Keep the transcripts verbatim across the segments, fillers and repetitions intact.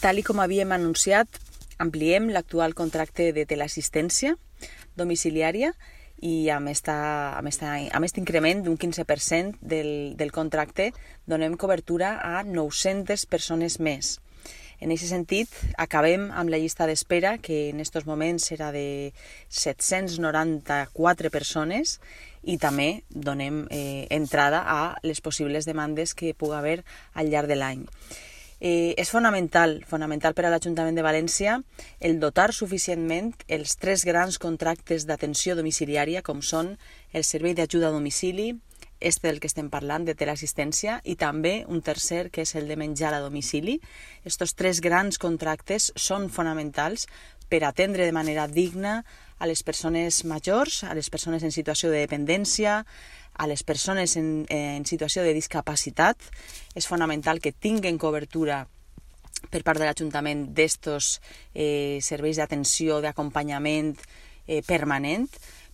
Tal i com havíem anunciat, ampliem l'actual contracte de teleassistència domiciliària i amb aquest amb esta, amb esta increment d'un quinze per cent del, del contracte donem cobertura a nou-centes persones més. En aquest sentit, acabem amb la llista d'espera, que en aquests moments serà de set-cents noranta-quatre persones, i també donem eh, entrada a les possibles demandes que pugui haver al llarg de l'any. Eh, és fonamental, fonamental per a l'Ajuntament de València el dotar suficientment els tres grans contractes d'atenció domiciliària, com són el servei d'ajuda a domicili, este del que estem parlant, de teleassistència, i també un tercer, que és el de menjar a domicili. Estos tres grans contractes són fonamentals per atendre de manera digna a les persones majors, a les persones en situació de dependència, a les persones en, en situació de discapacitat. És fonamental que tinguen cobertura per part de l'Ajuntament d'estos eh, serveis d'atenció, d'acompanyament eh, permanent,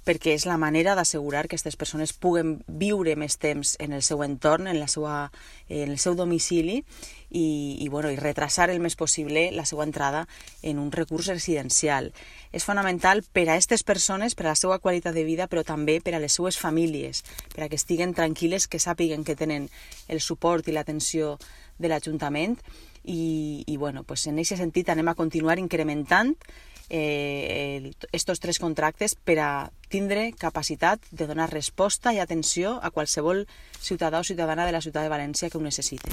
perquè és la manera d'assegurar que aquestes persones puguen viure més temps en el seu entorn, en, la seva, en el seu domicili, i, i, bueno, i retrasar el més possible la seva entrada en un recurs residencial. És fonamental per a aquestes persones, per a la seva qualitat de vida, però també per a les seues famílies, per a que estiguen tranquil·les, que sàpiguen que tenen el suport i l'atenció de l'Ajuntament, i, i bueno, pues en aquest sentit anem a continuar incrementant eh, estos tres contractes per a tindre capacitat de donar resposta i atenció a qualsevol ciutadà o ciutadana de la ciutat de València que ho necessite.